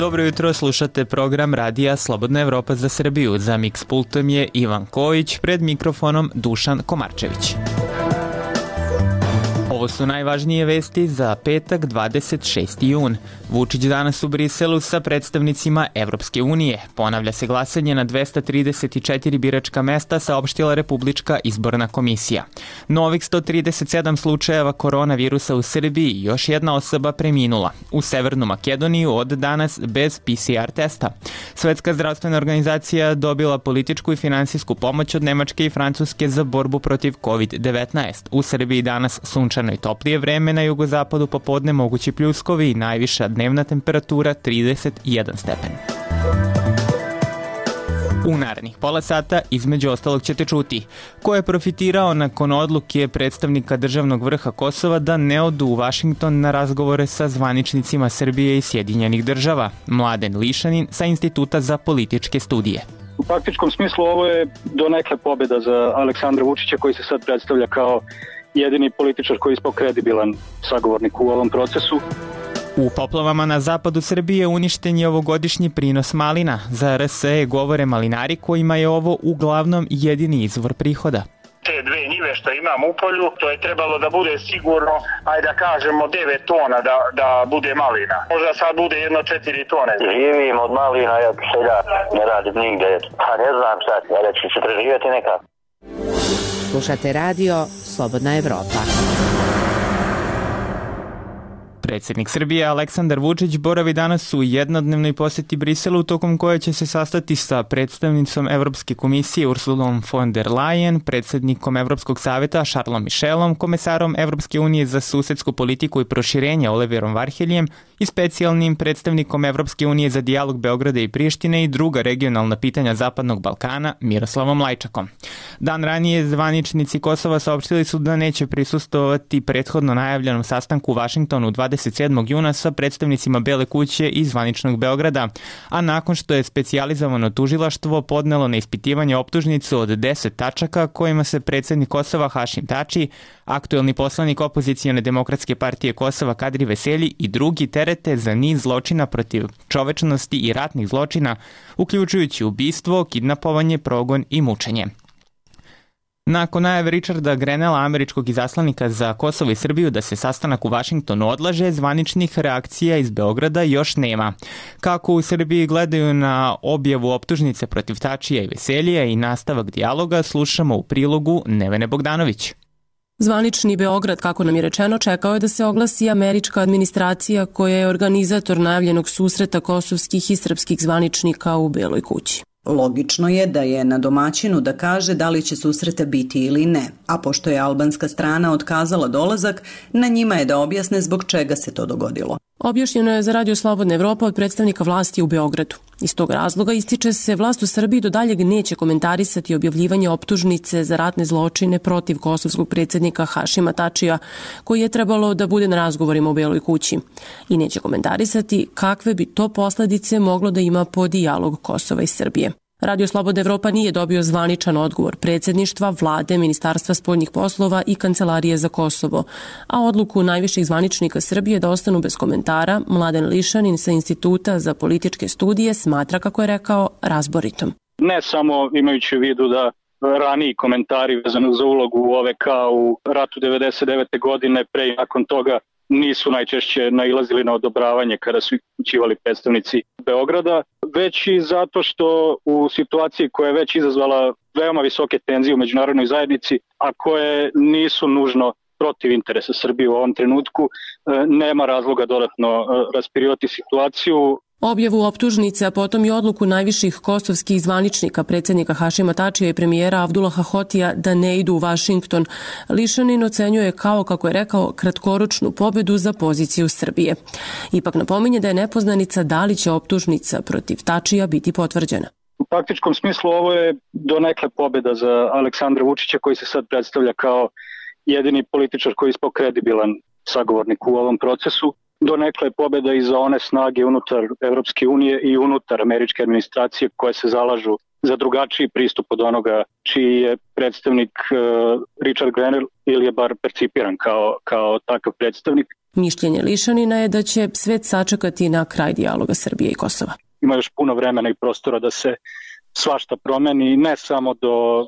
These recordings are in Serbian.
Dobro jutro, slušate program radija Slobodna Evropa za Srbiju. Za Mix pultom je Ivan Kojić, pred mikrofonom Dušan Komarčević. Ovo su najvažnije vesti za petak 26. jun. Vučić danas u Briselu sa predstavnicima Evropske unije. Ponavlja se glasanje na 234 biračka mesta, saopštila Republička izborna komisija. Novih 137 slučajeva koronavirusa u Srbiji, još jedna osoba preminula. U Severnu Makedoniju od danas bez PCR testa. Svetska zdravstvena organizacija dobila političku i finansijsku pomoć od Nemačke i Francuske za borbu protiv COVID-19. U Srbiji danas sunčano i toplije vreme, na jugozapadu popodne mogući pljuskovi i najviša dnevna temperatura 31 stepen. U narednih pola sata između ostalog ćete čuti ko je profitirao nakon odluke predstavnika državnog vrha Kosova da ne odu u Vašington na razgovore sa zvaničnicima Srbije i Sjedinjenih država. Mladen Lišanin sa Instituta za političke studije. U faktičkom smislu ovo je donekle pobjeda za Aleksandra Vučića, koji se sad predstavlja kao jedini političar koji je ispao kredibilan sagovornik u ovom procesu. U poplavama na zapadu Srbije uništen je ovogodišnji prinos malina. Za RSE govore malinari kojima je ovo uglavnom jedini izvor prihoda. Te dve njive što imam u polju, to je trebalo da bude sigurno, ajde da kažemo 9 tona da bude malina. Možda sad bude jedno 4 tone. Živim od malina, ja seljak, ne radim nigde. Pa ne znam šta, reći ću preživjeti nekako. Slušate radio Slobodna Evropa. Predsjednik Srbije Aleksandar Vučić boravi danas u jednodnevnoj posjeti Briselu, tokom koje će se sastati sa predstavnicom Evropske komisije Ursulom von der Leyen, predsjednikom Evropskog savjeta Charlesom Michelom, komesarom Evropske unije za susedsku politiku i proširenje Oliverom Varheljem i specijalnim predstavnikom Evropske unije za dijalog Beograda i Prištine i druga regionalna pitanja Zapadnog Balkana Miroslavom Lajčakom. Dan ranije zvaničnici Kosova saopštili su da neće prisustvovati prethodno najavljenom sastanku u Vašingtonu 27. juna sa predstavnicima Bele kuće i zvaničnog Beograda, a nakon što je specijalizovano tužilaštvo podnelo na ispitivanje optužnicu od 10 tačaka kojima se predsjednik Kosova Hašim Tači, aktuelni poslanik opozicione demokratske partije Kosova Kadri Veselji i drugi terete za niz zločina protiv čovečnosti i ratnih zločina, uključujući ubistvo, kidnapovanje, progon i mučenje. Nakon najave Richarda Grenella, američkog izaslanika za Kosovo i Srbiju, da se sastanak u Vašingtonu odlaže, zvaničnih reakcija iz Beograda još nema. Kako u Srbiji gledaju na objavu optužnice protiv Tačija i Veseljija i nastavak dijaloga, slušamo u prilogu Nevene Bogdanović. Zvanični Beograd, kako nam je rečeno, čekao je da se oglasi američka administracija koja je organizator najavljenog susreta kosovskih i srpskih zvaničnika u Beloj kući. Logično je da je na domaćinu da kaže da li će susreta biti ili ne, a pošto je albanska strana otkazala dolazak, na njima je da objasne zbog čega se to dogodilo. Objašnjeno je za Radio Slobodna Evropa od predstavnika vlasti u Beogradu. Iz tog razloga ističe se vlast u Srbiji do daljeg neće komentarisati objavljivanje optužnice za ratne zločine protiv kosovskog predsjednika Hašima Tačija, koji je trebalo da bude na razgovorima u Beloj kući. I neće komentarisati kakve bi to posljedice moglo da ima po dijalog Kosova i Srbije. Radio Slobodna Evropa nije dobio zvaničan odgovor predsjedništva, vlade, Ministarstva spoljnih poslova i Kancelarije za Kosovo, a odluku najviših zvaničnika Srbije da ostanu bez komentara Mladen Lišanin sa Instituta za političke studije smatra, kako je rekao, razboritom. Ne samo imajući u vidu da raniji komentari vezano za ulogu OVK u ratu 99. godine, pre i nakon toga nisu najčešće nailazili na odobravanje kada su upućivali predstavnici Beograda, već i zato što u situaciji koja je već izazvala veoma visoke tenzije u međunarodnoj zajednici, a koje nisu nužno protiv interesa Srbije u ovom trenutku, nema razloga dodatno raspirivati situaciju. Objavu optužnice, a potom i odluku najviših kosovskih zvaničnika, predsjednika Hašima Tačija i premijera Abdullaha Hotija da ne idu u Vašington, Lišanin ocenjuje kao, kako je rekao, kratkoročnu pobedu za poziciju Srbije. Ipak napominje da je nepoznanica da li će optužnica protiv Tačija biti potvrđena. U faktičkom smislu ovo je donekle pobjeda za Aleksandra Vučića, koji se sad predstavlja kao jedini političar koji je ispao kredibilan sagovornik u ovom procesu. Donekle je pobjeda i za one snage unutar Evropske unije i unutar američke administracije koje se zalažu za drugačiji pristup od onoga čiji je predstavnik Richard Grenell ili je bar percipiran kao takav predstavnik. Mišljenje Lišanina je da će svet sačekati na kraj dijaloga Srbije i Kosova. Ima još puno vremena i prostora da se svašta promeni, ne samo do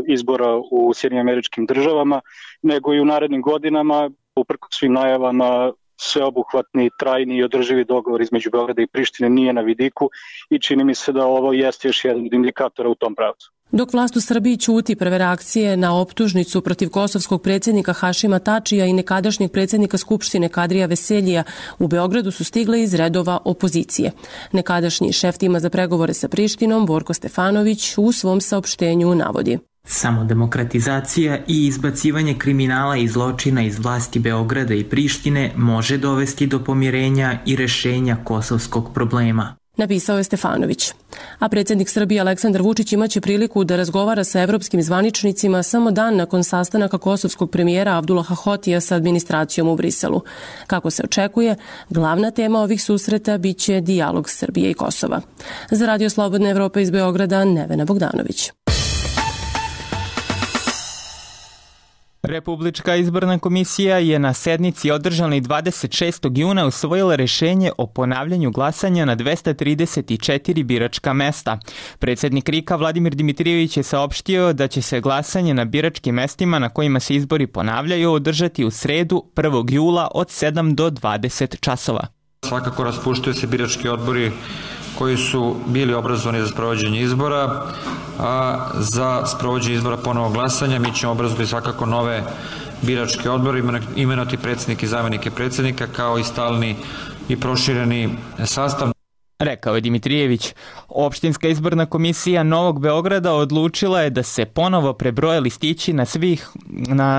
izbora u Sjedinjenim Američkim Državama, nego i u narednim godinama, uprkos svim najavama, sveobuhvatni, trajni i održivi dogovor između Beograda i Prištine nije na vidiku i čini mi se da ovo jeste još jedan od indikatora u tom pravcu. Dok vlast u Srbiji ćuti, prve reakcije na optužnicu protiv kosovskog predsjednika Hašima Tačija i nekadašnjeg predsjednika Skupštine Kadrija Veseljija u Beogradu su stigle iz redova opozicije. Nekadašnji šef tima za pregovore sa Prištinom, Borko Stefanović, u svom saopštenju navodi: Samo demokratizacija i izbacivanje kriminala i zločina iz vlasti Beograda i Prištine može dovesti do pomirenja i rešenja kosovskog problema, napisao je Stefanović. A predsjednik Srbije Aleksandar Vučić imaće priliku da razgovara sa evropskim zvaničnicima samo dan nakon sastanaka kosovskog premijera Abdullaha Hotija sa administracijom u Briselu. Kako se očekuje, glavna tema ovih susreta biće dijalog Srbije i Kosova. Za Radio Slobodna Evropa iz Beograda, Nevena Bogdanović. Republička izborna komisija je na sednici održanoj 26. juna usvojila rešenje o ponavljanju glasanja na 234 biračka mesta. Predsjednik RIK-a Vladimir Dimitrijević je saopštio da će se glasanje na biračkim mestima na kojima se izbori ponavljaju održati u sredu 1. jula od 7 do 20 časova. Svakako raspuštaju se birački odbori koji su bili obrazovani za sprovođenje izbora, a za sprovođenje izbora ponovog glasanja mi ćemo obrazovati svakako nove biračke odbore, imenovati predsjednike i zamjenike predsjednika kao i stalni i prošireni sastav. Rekao je Dimitrijević. Opštinska izborna komisija Novog Beograda odlučila je da se ponovo prebroje listići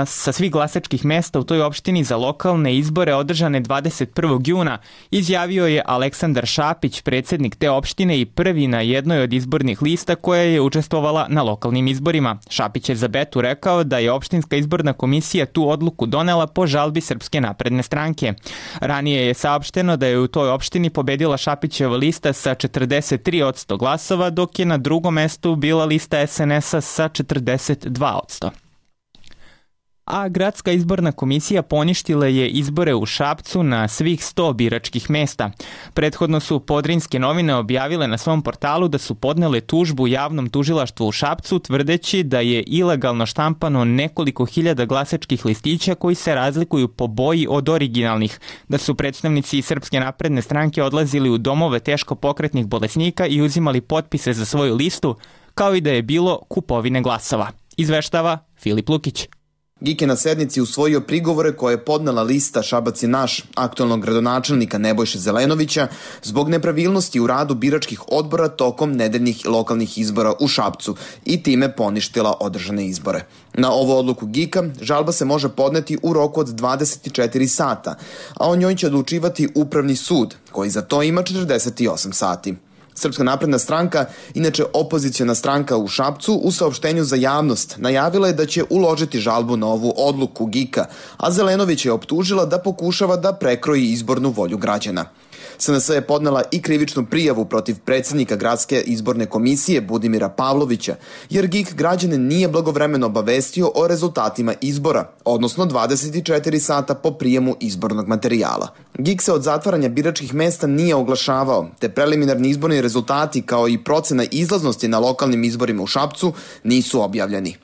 sa svih glasačkih mesta u toj opštini za lokalne izbore održane 21. juna, izjavio je Aleksandar Šapić, predsjednik te opštine i prvi na jednoj od izbornih lista koja je učestvovala na lokalnim izborima. Šapić je za Betu rekao da je opštinska izborna komisija tu odluku donela po žalbi Srpske napredne stranke. Ranije je saopšteno da je u toj opštini pobedila Šapićeva lista sa 43% glasova, dok je na drugom mestu bila lista SNS-a sa 42%. A Gradska izborna komisija poništila je izbore u Šapcu na svih 100 biračkih mesta. Prethodno su Podrinjske novine objavile na svom portalu da su podnele tužbu javnom tužilaštvu u Šapcu, tvrdeći da je ilegalno štampano nekoliko hiljada glasačkih listića koji se razlikuju po boji od originalnih, da su predstavnici Srpske napredne stranke odlazili u domove teško pokretnih bolesnika i uzimali potpise za svoju listu, kao i da je bilo kupovine glasova. Izveštava Filip Lukić. GIK je na sednici usvojio prigovore koje je podnela lista Šabac je naš aktualnog gradonačelnika Nebojše Zelenovića zbog nepravilnosti u radu biračkih odbora tokom nedeljnih lokalnih izbora u Šapcu i time poništila održane izbore. Na ovu odluku GIK-a žalba se može podneti u roku od 24 sata, a o njoj će odlučivati Upravni sud, koji za to ima 48 sati. Srpska napredna stranka, inače opoziciona stranka u Šapcu, u saopštenju za javnost najavila je da će uložiti žalbu na ovu odluku GIK-a, a Zelenović je optužila da pokušava da prekroji izbornu volju građana. SNS je podnela i krivičnu prijavu protiv predsjednika Gradske izborne komisije Budimira Pavlovića, jer GIK građane nije blagovremeno obavestio o rezultatima izbora, odnosno 24 sata po prijemu izbornog materijala. GIK se od zatvaranja biračkih mesta nije oglašavao, te preliminarni izborni rezultati kao i procena izlaznosti na lokalnim izborima u Šapcu nisu objavljeni.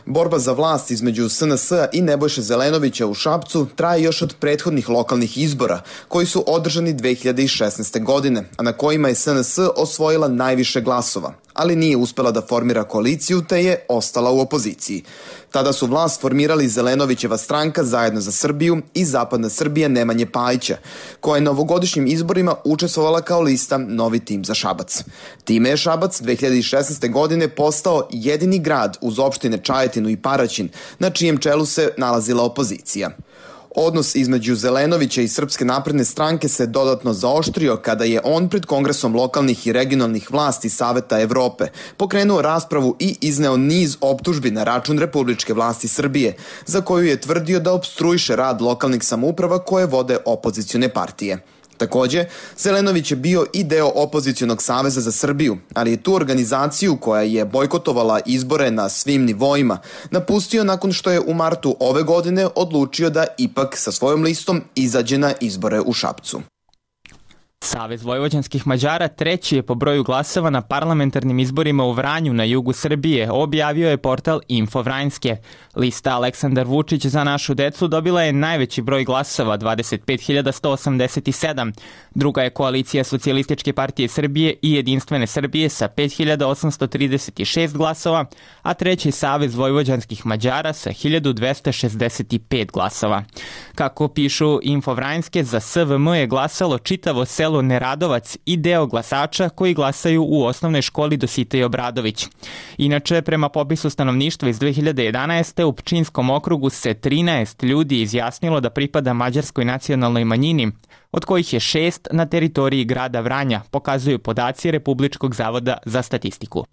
Borba za vlast između SNS-a i Nebojše Zelenovića u Šapcu traje još od prethodnih lokalnih izbora, koji su održani 2016. godine, a na kojima je SNS osvojila najviše glasova, ali nije uspela da formira koaliciju te je ostala u opoziciji. Tada su vlast formirali Zelenovićeva stranka Zajedno za Srbiju i Zapadna Srbija Nemanje Pajića, koja je na ovogodišnjim izborima učestvovala kao lista Novi tim za Šabac. Time je Šabac 2016. godine postao jedini grad uz opštine Čajetinu i Paraćin, na čijem čelu se nalazila opozicija. Odnos između Zelenovića i Srpske napredne stranke se dodatno zaoštrio kada je on pred Kongresom lokalnih i regionalnih vlasti Saveta Evrope pokrenuo raspravu i izneo niz optužbi na račun republičke vlasti Srbije, za koju je tvrdio da opstruiše rad lokalnih samouprava koje vode opozicione partije. Takođe, Zelenović je bio i deo Opozicionog saveza za Srbiju, ali je tu organizaciju koja je bojkotovala izbore na svim nivoima napustio nakon što je u martu ove godine odlučio da ipak sa svojom listom izađe na izbore u Šapcu. Savez vojvođanskih Mađara treći je po broju glasova na parlamentarnim izborima u Vranju na jugu Srbije, objavio je portal Info Vranjske. Lista Aleksandar Vučić za našu decu dobila je najveći broj glasova, 25.187. Druga je koalicija Socijalističke partije Srbije i Jedinstvene Srbije sa 5.836 glasova, a treći Savez vojvođanskih Mađara sa 1.265 glasova. Kako pišu Info Vranjske, za SVM je glasalo čitavo selo Neradovac i deo glasača koji glasaju u osnovnoj školi Dositej Obradović. Inače, prema popisu stanovništva iz 2011. u Pčinjskom okrugu se 13 ljudi izjasnilo da pripada mađarskoj nacionalnoj manjini, od kojih je 6 na teritoriji grada Vranja, pokazuju podaci Republičkog zavoda za statistiku.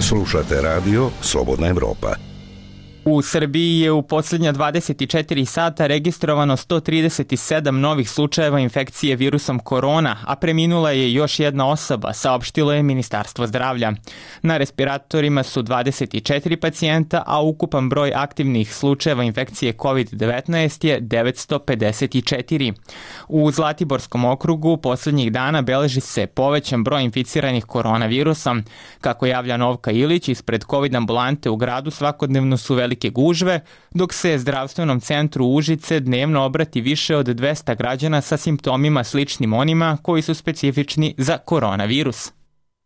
Slušate radio Slobodna Evropa. U Srbiji je u posljednja 24 sata registrovano 137 novih slučajeva infekcije virusom korona, a preminula je još jedna osoba, saopštilo je Ministarstvo zdravlja. Na respiratorima su 24 pacijenta, a ukupan broj aktivnih slučajeva infekcije COVID-19 je 954. U Zlatiborskom okrugu posljednjih dana beleži se povećan broj inficiranih koronavirusom. Kako javlja Novka Ilić, ispred COVID ambulante u gradu svakodnevno su velike gužve, dok se zdravstvenom centru Užice dnevno obrati više od 200 građana sa simptomima sličnim onima koji su specifični za koronavirus.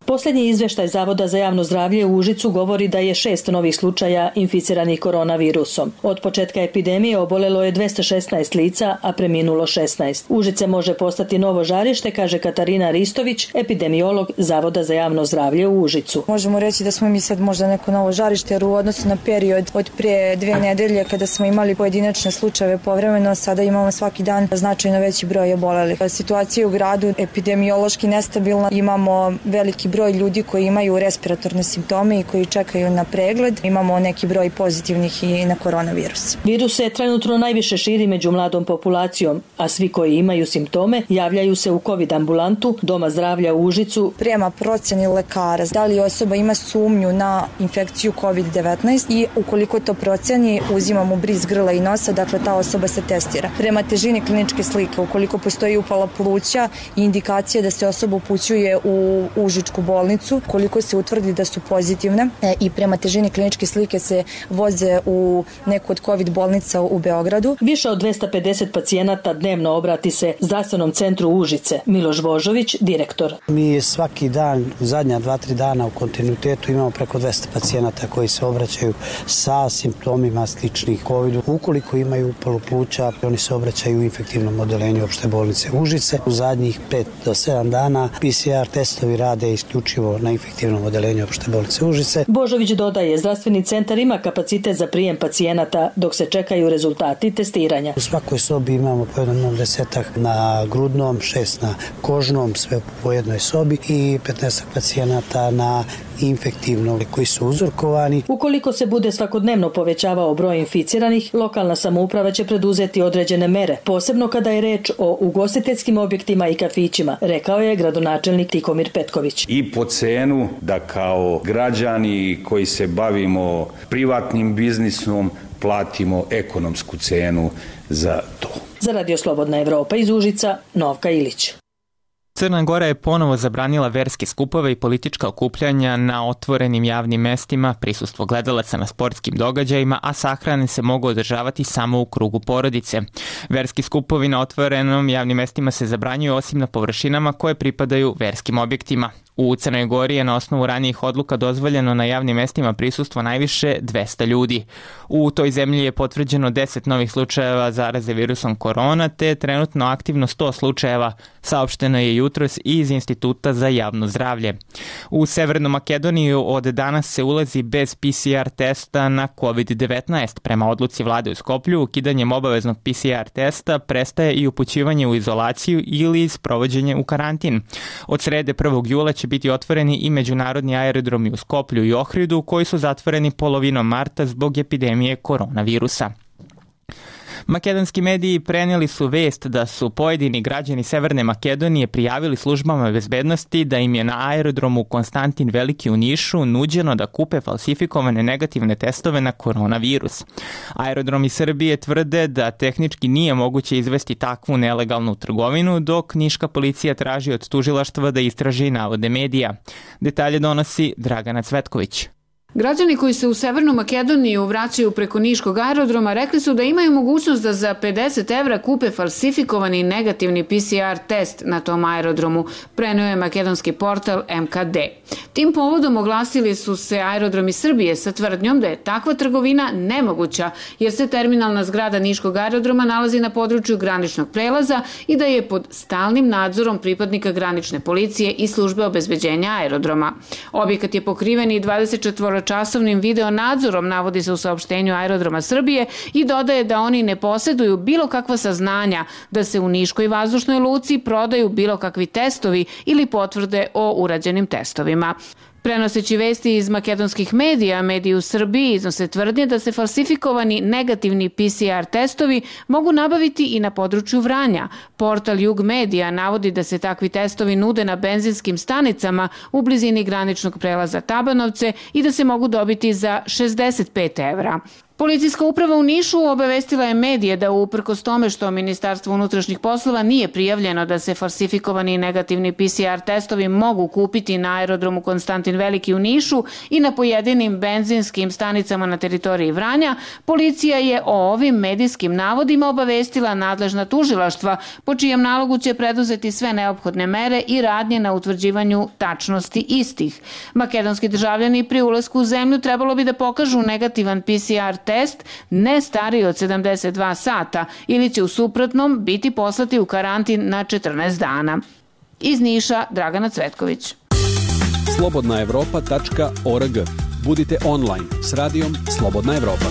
Posljednji izveštaj Zavoda za javno zdravlje u Užicu govori da je 6 novih slučaja inficiranih koronavirusom. Od početka epidemije obolelo je 216 lica, a preminulo 16. Užice može postati novo žarište, kaže Katarina Ristović, epidemiolog Zavoda za javno zdravlje u Užicu. Možemo reći da smo mi sad možda neko novo žarište, jer u odnosu na period od prije 2 nedelje kada smo imali pojedinačne slučajeve povremeno, sada imamo svaki dan značajno veći broj obolelih. Situacija u gradu epidemiološki nestabilna, imamo veliki broj ljudi koji imaju respiratorne simptome i koji čekaju na pregled. Imamo neki broj pozitivnih i na koronavirus. Virus se trenutno najviše širi među mladom populacijom, a svi koji imaju simptome javljaju se u COVID ambulantu Doma zdravlja u Užicu. Prema procjeni lekara, da li osoba ima sumnju na infekciju COVID-19 i ukoliko to procjeni, uzimamo bris grla i nosa, dakle ta osoba se testira. Prema težini kliničke slike, ukoliko postoji upala pluća i indikacija da se osoba upućuje u Užičku bolnicu, koliko se utvrdi da su pozitivne i prema težini kliničke slike se voze u neku od COVID bolnica u Beogradu. Više od 250 pacijenata dnevno obrati se zdravstvenom centru Užice. Miloš Božović, direktor. Mi svaki dan, zadnja 2-3 dana u kontinuitetu imamo preko 200 pacijenata koji se obraćaju sa simptomima sličnih COVID-u. Ukoliko imaju upalu pluća, oni se obraćaju u infektivnom odeljenju opšte bolnice Užice. U zadnjih 5 do 7 dana PCR testovi rade isključivo na infektivnom odeljenju opšte bolnice Užice. Božović dodaje, zdravstveni centar ima kapacitet za prijem pacijenata dok se čekaju rezultati testiranja. U svakoj sobi imamo po jednom 10 na grudnom, 6 na kožnom, sve po jednoj sobi i 15 pacijenata na infektivnom koji su uzorkovani. Ukoliko se bude svakodnevno povećavao broj inficiranih, lokalna samouprava će preduzeti određene mere, posebno kada je reč o ugostiteljskim objektima i kafićima, rekao je gradonačelnik Tikomir Petković. I po cenu da kao građani koji se bavimo privatnim biznisom platimo ekonomsku cenu za to. Za Radio Slobodna Evropa iz Užica, Novka Ilić. Crna Gora je ponovo zabranila verske skupove i politička okupljanja na otvorenim javnim mestima, prisustvo gledalaca na sportskim događajima, a sahrane se mogu održavati samo u krugu porodice. Verski skupovi na otvorenom javnim mestima se zabranjuju osim na površinama koje pripadaju verskim objektima. U Crnoj Gori je na osnovu ranijih odluka dozvoljeno na javnim mestima prisustvo najviše 200 ljudi. U toj zemlji je potvrđeno 10 novih slučajeva zaraze virusom korona, te je trenutno aktivno 100 slučajeva, saopšteno je jutros i iz Instituta za javno zdravlje. U Severnu Makedoniju od danas se ulazi bez PCR testa na COVID-19. Prema odluci vlade u Skoplju, ukidanjem obaveznog PCR testa prestaje i upućivanje u izolaciju ili sprovođenje u karantin. Od srede 1. jula će biti otvoreni i međunarodni aerodromi u Skoplju i Ohridu koji su zatvoreni polovinom marta zbog epidemije koronavirusa. Makedonski mediji prenijeli su vest da su pojedini građani Severne Makedonije prijavili službama bezbednosti da im je na aerodromu Konstantin Veliki u Nišu nuđeno da kupe falsifikovane negativne testove na koronavirus. Aerodromi Srbije tvrde da tehnički nije moguće izvesti takvu nelegalnu trgovinu, dok niška policija traži od tužilaštva da istraži navode medija. Detalje donosi Dragana Cvetković. Građani koji se u Severnu Makedoniju vraćaju preko niškog aerodroma rekli su da imaju mogućnost da za 50 evra kupe falsifikovani negativni PCR test na tom aerodromu, preneo je makedonski portal MKD. Tim povodom oglasili su se aerodromi Srbije sa tvrdnjom da je takva trgovina nemoguća, jer se terminalna zgrada niškog aerodroma nalazi na području graničnog prelaza i da je pod stalnim nadzorom pripadnika granične policije i službe obezbeđenja aerodroma. Objekat je pokriven i 24-časovnim video nadzorom, navodi se u saopštenju Aerodroma Srbije, i dodaje da oni ne posjeduju bilo kakva saznanja da se u niškoj vazdušnoj luci prodaju bilo kakvi testovi ili potvrde o urađenim testovima. Prenoseći vesti iz makedonskih medija, mediji u Srbiji iznose tvrdnje da se falsifikovani negativni PCR testovi mogu nabaviti i na području Vranja. Portal Jug Medija navodi da se takvi testovi nude na benzinskim stanicama u blizini graničnog prelaza Tabanovce i da se mogu dobiti za 65 evra. Policijska uprava u Nišu obavestila je medije da uprkos tome što Ministarstvo unutrašnjih poslova nije prijavljeno da se falsifikovani negativni PCR testovi mogu kupiti na aerodromu Konstantin Veliki u Nišu i na pojedinim benzinskim stanicama na teritoriji Vranja, policija je o ovim medijskim navodima obavestila nadležna tužilaštva, po čijem nalogu će preduzeti sve neophodne mere i radnje na utvrđivanju tačnosti istih. Makedonski državljani pri ulasku u zemlju trebalo bi da pokažu negativan PCR test ne stariji od 72 sata ili će u suprotnom biti poslati u karantin na 14 dana. Iz Niša, Dragana Cvetković. slobodnaevropa.org. Budite online s radijom Slobodna Evropa.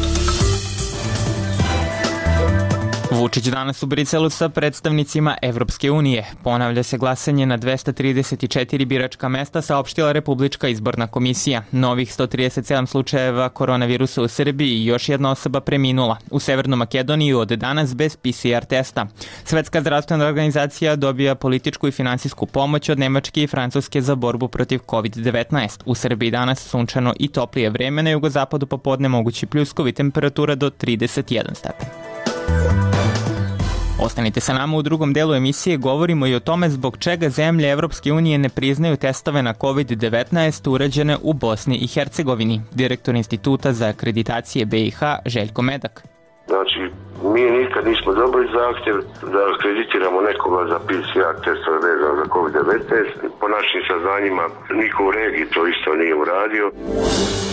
Vučić danas u Briselu sa predstavnicima Evropske unije. Ponavlja se glasanje na 234 biračka mesta, saopštila Republička izborna komisija. Novih 137 slučajeva koronavirusa u Srbiji i još jedna osoba preminula. U Severnu Makedoniju od danas bez PCR testa. Svetska zdravstvena organizacija dobija političku i finansijsku pomoć od Nemačke i Francuske za borbu protiv COVID-19. U Srbiji danas sunčano i toplije vreme, na jugozapadu popodne mogući pljuskovi, temperatura do 31 stepen. Ostanite sa nama, u drugom delu emisije govorimo i o tome zbog čega zemlje Evropske unije ne priznaju testove na COVID-19 urađene u Bosni i Hercegovini. Direktor Instituta za akreditacije BiH Željko Medak. Znači, mi nikad nismo dobili zahtjev da akreditiramo nekoga za PCR testove vezano za COVID-19. Po našim saznanjima niko u regiji to isto nije uradio.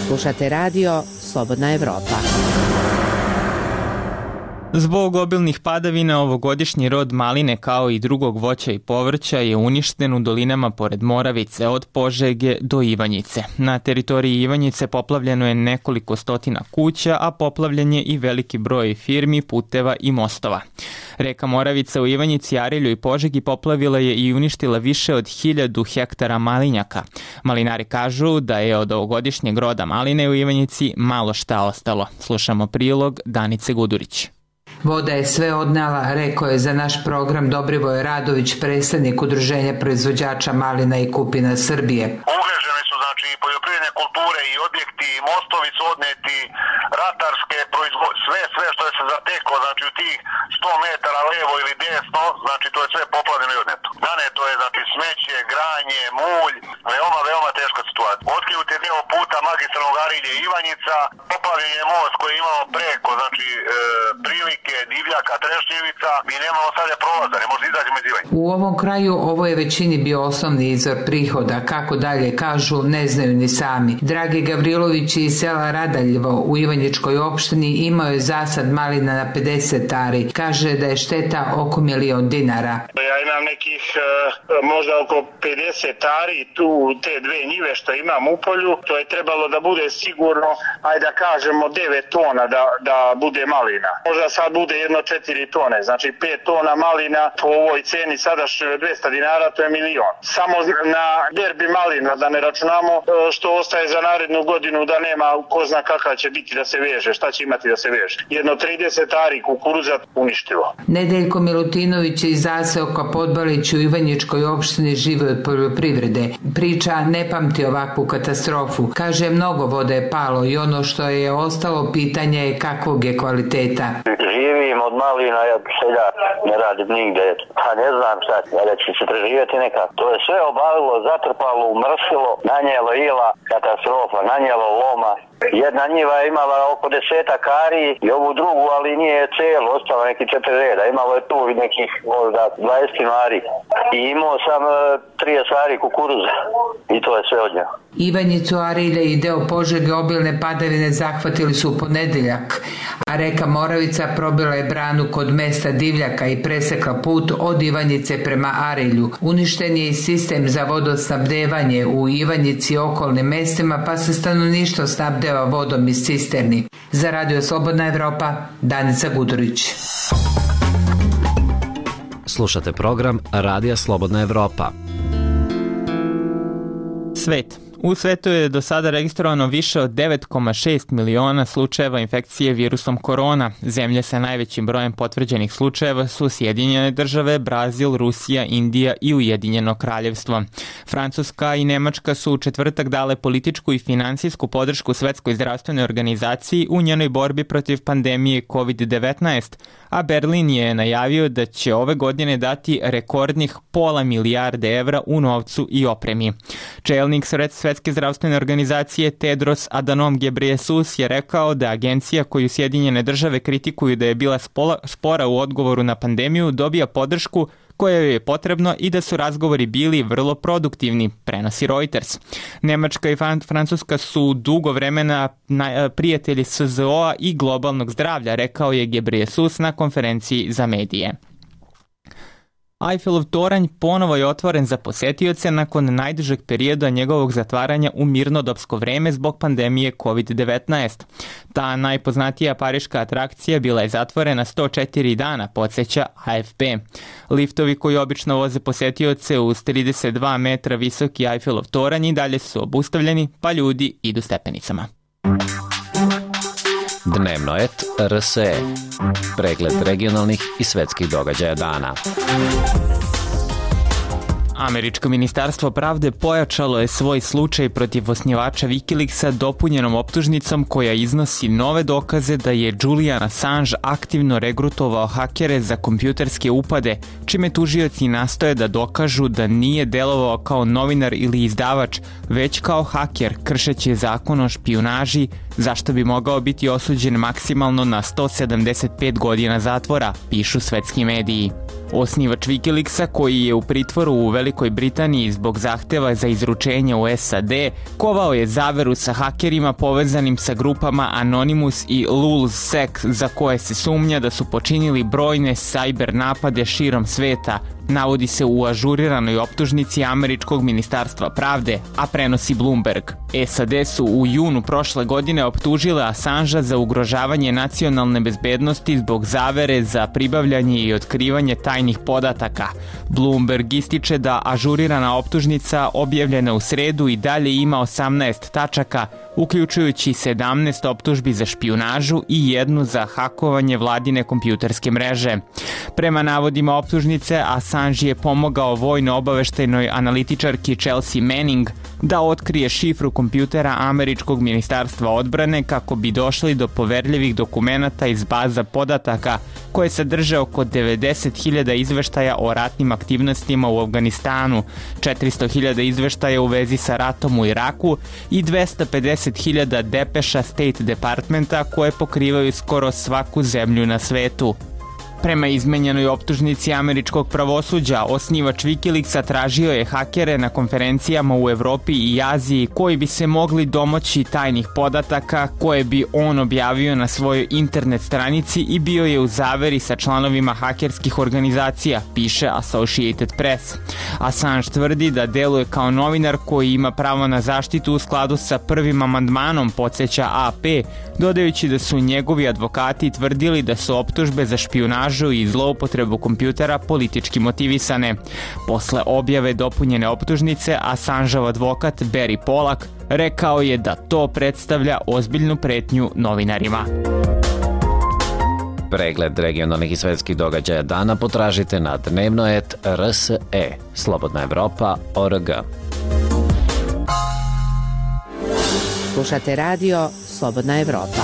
Slušate radio Slobodna Evropa. Zbog obilnih padavina ovogodišnji rod maline kao i drugog voća i povrća je uništen u dolinama pored Moravice od Požege do Ivanjice. Na teritoriji Ivanjice poplavljeno je nekoliko stotina kuća, a poplavljen je i veliki broj firmi, puteva i mostova. Reka Moravica u Ivanjici, Arilju i Požegi poplavila je i uništila više od 1000 hektara malinjaka. Malinari kažu da je od ovogodišnjeg roda maline u Ivanjici malo šta ostalo. Slušamo prilog Danice Gudurić. Voda je sve odnela, rekao je za naš program Dobrivoje Radović, predsednik Udruženja proizvođača malina i kupina Srbije. Ugrožene su znači poljoprivredne kulture i objekti, mostovi su odneti, ratarske sve što je se zateklo, znači u tih 100 metara levo ili desno, znači to je sve poplavljeno i odneto. Naneto je znači smeće, granje, mulj, veoma teška situacija. Otkinut je deo puta magistralnog Arilje Ivanjica, poplavljen je most koji je imao preko, znači prilike, divljaka, trešnjevica, mi nemamo sada prolaza, ne može izađemo iz Ivanja. U ovom kraju ovo je većini bio osnovni izvor prihoda, kako dalje kažu ne znaju ni sami. Dragi Gavrilović iz sela Radaljevo u Ivanjičkoj opštini imao je zasad malina na 50 ari. Kaže da je šteta oko 1.000.000 dinara. Ja imam nekih možda oko 50 ari, tu te dve njive što imam u polju, to je trebalo da bude sigurno, ajde da kažemo 9 tona da bude malina. Možda sad bude jedno 4 tone. Znači 5 tona malina po ovoj ceni sadašnjoj 200 dinara, to je 1.000.000. Samo na berbi malina, da ne računamo što ostaje za narednu godinu, da nema ko zna kakav će biti da se veže, šta će imati da se veže. Jedno 30 ari kukuruza uništilo. Nedeljko Milutinović iz zaseoka Podbalić u Ivanjičkoj opštini živi od poljoprivrede. Priča ne pamti ovakvu katastrofu. Kaže, mnogo vode je palo i ono što je ostalo pitanje je kakvog je kvaliteta. Živim od malina, ja seljak, ne radim nigde. Pa ne znam šta, da će se preživjeti nekako. To je sve obalilo, zatrpalo, umrsilo, nanijelo ila, katastrofa, nanijelo loma. Jedna njiva je imala oko 10 ari i ovu drugu, ali nije cijelo, ostalo neki 4 reda. Imalo je tu nekih možda 20 ari. I imao sam 30 ari kukuruza. I to je sve od nje. Ivanjicu, Arilje i deo Požege obilne padavine zahvatili su u ponedeljak, a reka Moravica probila je branu kod mesta Divljaka i presekla put od Ivanjice prema Arilju. Uništen je i sistem za vodosnabdevanje u Ivanjici i okolnim mestima, pa se stanovništvo snabdeva vodom iz cisterni. Za Radio Slobodna Evropa, Danica Gudurić. Slušate program Radija Slobodna Evropa. Svet. U svetu je do sada registrovano više od 9,6 miliona slučajeva infekcije virusom korona. Zemlje sa najvećim brojem potvrđenih slučajeva su Sjedinjene države, Brazil, Rusija, Indija i Ujedinjeno kraljevstvo. Francuska i Nemačka su u četvrtak dale političku i finansijsku podršku Svetskoj zdravstvenoj organizaciji u njenoj borbi protiv pandemije COVID-19, a Berlin je najavio da će ove godine dati rekordnih $500 milijarde u novcu i opremi. Čelnik Svetske zdravstvene organizacije Tedros Adhanom Ghebreyesus je rekao da agencija koju Sjedinjene države kritikuju da je bila spora u odgovoru na pandemiju dobija podršku koja joj je potrebno i da su razgovori bili vrlo produktivni, prenosi Reuters. Nemačka i Francuska su dugo vremena prijatelji SZO-a i globalnog zdravlja, rekao je Ghebreyesus na konferenciji za medije. Eiffelov toranj ponovo je otvoren za posetioce nakon najdužeg perioda njegovog zatvaranja u mirnodopsko vreme zbog pandemije COVID-19. Ta najpoznatija pariška atrakcija bila je zatvorena 104 dana, podsjeća AFP. Liftovi koji obično voze posetioce uz 32 metra visoki Eiffelov toranj i dalje su obustavljeni, pa ljudi idu stepenicama. Dnevnoet RSE. Pregled regionalnih i svetskih događaja dana. Američko ministarstvo pravde pojačalo je svoj slučaj protiv osnivača Wikileaksa dopunjenom optužnicom koja iznosi nove dokaze da je Julian Assange aktivno regrutovao hakere za kompjuterske upade, čime tužioci nastoje da dokažu da nije delovao kao novinar ili izdavač, već kao haker, kršeći zakon o špijunaži, zašto bi mogao biti osuđen maksimalno na 175 godina zatvora, pišu svetski mediji. Osnivač Wikileaksa, koji je u pritvoru u Velikoj Britaniji zbog zahteva za izručenje u SAD, kovao je zaveru sa hakerima povezanim sa grupama Anonymous i LulzSec, za koje se sumnja da su počinili brojne cyber napade širom sveta, navodi se u ažuriranoj optužnici Američkog ministarstva pravde, a prenosi Bloomberg. SAD su u junu prošle godine optužile Assangea za ugrožavanje nacionalne bezbednosti zbog zavere za pribavljanje i otkrivanje tajnih podataka. Bloomberg ističe da ažurirana optužnica objavljena u sredu i dalje ima 18 tačaka, uključujući 17 optužbi za špijunažu i jednu za hakovanje vladine kompjuterske mreže. Prema navodima optužnice, Assange je pomogao vojno-obaveštajnoj analitičarki Chelsea Manning da otkrije šifru kompjutera Američkog ministarstva odbrane kako bi došli do poverljivih dokumenata iz baza podataka koje sadrže oko 90.000 izveštaja o ratnim aktivnostima u Afganistanu, 400.000 izveštaja u vezi sa ratom u Iraku i 250.000 depeša State Departmenta koje pokrivaju skoro svaku zemlju na svetu. Prema izmenjenoj optužnici američkog pravosuđa, osnivač Wikileaksa tražio je hakere na konferencijama u Evropi i Aziji koji bi se mogli domoći tajnih podataka koje bi on objavio na svojoj internet stranici i bio je u zaveri sa članovima hakerskih organizacija, piše Associated Press. Assange tvrdi da deluje kao novinar koji ima pravo na zaštitu u skladu sa prvim amandmanom, podsjeća AP, dodajući da su njegovi advokati tvrdili da su optužbe za špijunažu i zloupotrebu kompjutera politički motivisane. Posle objave dopunjene optužnice, Assangeov advokat Barry Pollack rekao je da to predstavlja ozbiljnu pretnju novinarima. Pregled regionalnih i svetskih događaja dana potražite na dnevno.rs.e, slobodnaevropa.org. Slušate radio Slobodna Evropa.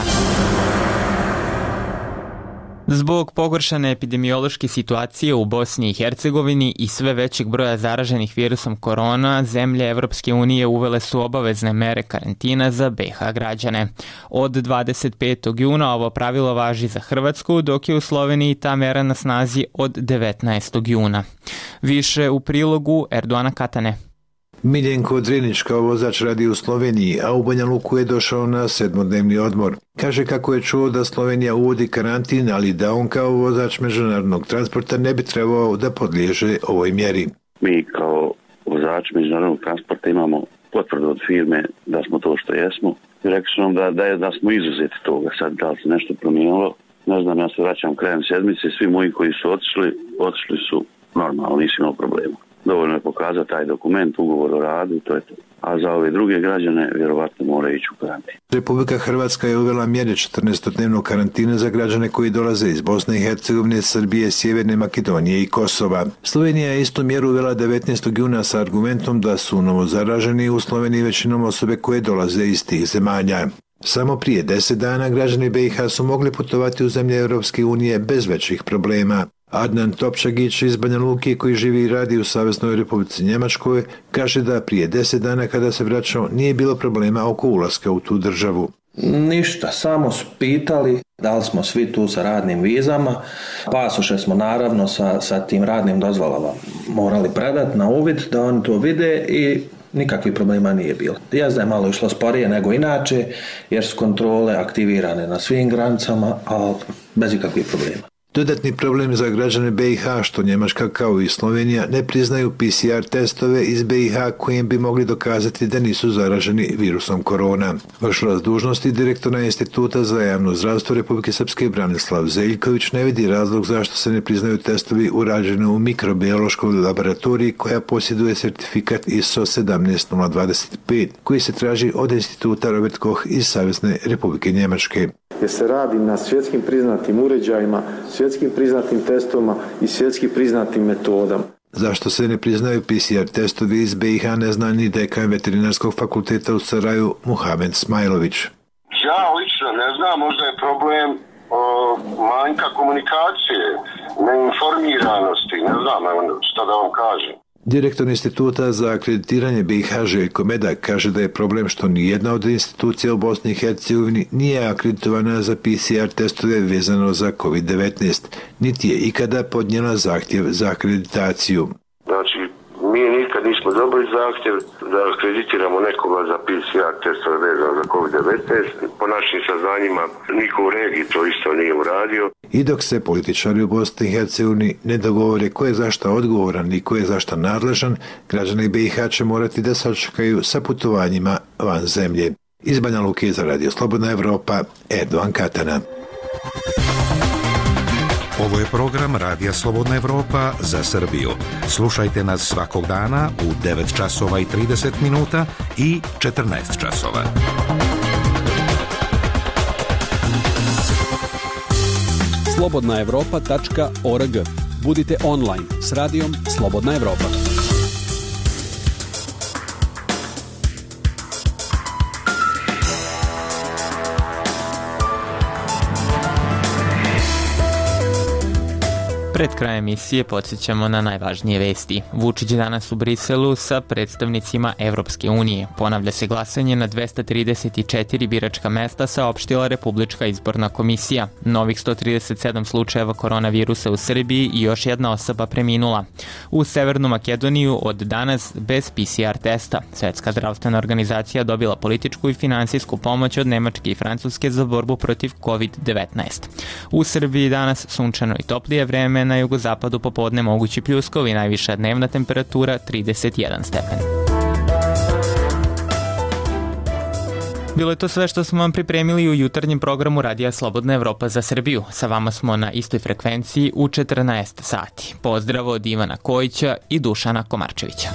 Zbog pogoršane epidemiološke situacije u Bosni i Hercegovini i sve većeg broja zaraženih virusom korona, zemlje Evropske unije uvele su obavezne mere karantina za BiH građane. Od 25. juna ovo pravilo važi za Hrvatsku, dok je u Sloveniji ta mera na snazi od 19. juna. Više u prilogu Erdoana Katane. Miljenko Drinić kao vozač radi u Sloveniji, a u Banja Luku je došao na 7-dnevni odmor. Kaže kako je čuo da Slovenija uvodi karantin, ali da on kao vozač međunarodnog transporta ne bi trebao da podliježe ovoj mjeri. Mi kao vozač međunarodnog transporta imamo potvrdu od firme da smo to što jesmo. I rekli su nam da smo izuzeti toga. Sad da li se nešto promijenilo, ne znam, ja se vraćam krajem sedmice, svi moji koji su otišli su normalno, nisu imali problema. Dovoljno je pokazati taj dokument, ugovor o radu, to je to. A za ove druge građane vjerovatno moraju ići u karantin. Republika Hrvatska je uvela mjere 14-dnevnog karantina za građane koji dolaze iz Bosne i Hercegovine, Srbije, Sjeverne Makedonije i Kosova. Slovenija je istu mjeru uvela 19. juna sa argumentom da su novozaraženi u Sloveniji većinom osobe koje dolaze iz tih zemalja. Samo prije 10 dana građani BiH su mogli putovati u zemlje Europske unije bez većih problema. Adnan Topčagić iz Banja Luke, koji živi i radi u Saveznoj Republici Njemačkoj, kaže da prije 10 dana kada se vraćao nije bilo problema oko ulaska u tu državu. Ništa, samo su pitali da li smo svi tu sa radnim vizama. Pasoše smo naravno sa tim radnim dozvolama morali predati na uvid da oni to vide i nikakvih problema nije bilo. Jazda je malo išlo sporije nego inače jer su kontrole aktivirane na svim granicama, ali bez ikakvih problema. Dodatni problem za građane BiH što Njemačka kao i Slovenija ne priznaju PCR testove iz BiH kojim bi mogli dokazati da nisu zaraženi virusom korona. Vršilac dužnosti direktora Instituta za javno zdravstvo Republike Srpske Branislav Zeljković ne vidi razlog zašto se ne priznaju testovi urađeni u mikrobiološkoj laboratoriji koja posjeduje sertifikat ISO 17025 koji se traži od Instituta Robert Koch iz Savezne Republike Njemačke. Jer se radi na svjetskim priznatim uređajima, svjetskim priznatim testovima i svjetski priznatim metodama. Zašto se ne priznaju PCR testovi iz BiH ne zna ni dekan Veterinarskog fakulteta u Saraju Muhamed Smajlović. Ja lično ne znam, možda je problem manjka komunikacije, neinformiranosti, ne znam šta da vam kažem. Direktor Instituta za akreditiranje BiH Željko Medak kaže da je problem što nijedna od institucija u Bosni i Hercegovini nije akreditovana za PCR testove vezano za COVID-19, niti je ikada podnijela zahtjev za akreditaciju. Znači, mi nikad nismo dobili zahtjev da akreditiramo nekoga za PCR testove vezano za COVID-19. Po našim saznanjima niko u regiji to isto nije uradio. I dok se političari u Bosni i Hercegovini ne dogovore ko je zašta odgovoran i ko je zašta nadležan, građani BiH će morati da sačekaju sa putovanjima van zemlje. Iz Banja Luke za Radio Slobodna Evropa, Erdoan Katana. Ovo je program Radija Slobodna Evropa za Srbiju. Slušajte nas svakog dana u 9 časova i 30 minuta i 14 časova. slobodnaevropa.org. Budite online s radijom Slobodna Evropa. Pred krajem emisije podsjećamo na najvažnije vesti. Vučić danas u Briselu sa predstavnicima Evropske unije. Ponavlja se glasanje na 234 biračka mesta, saopštila Republička izborna komisija. Novih 137 slučajeva koronavirusa u Srbiji i još jedna osoba preminula. U Severnu Makedoniju od danas bez PCR testa. Svetska zdravstvena organizacija dobila političku i finansijsku pomoć od Nemačke i Francuske za borbu protiv COVID-19. U Srbiji danas sunčano i toplije vreme, na jugozapadu popodne mogući pljuskovi, najviša dnevna temperatura 31 stepen. Bilo je to sve što smo vam pripremili u jutarnjem programu Radija Slobodna Evropa za Srbiju. Sa vama smo na istoj frekvenciji u 14 sati. Pozdrav od Ivana Kojića i Dušana Komarčevića.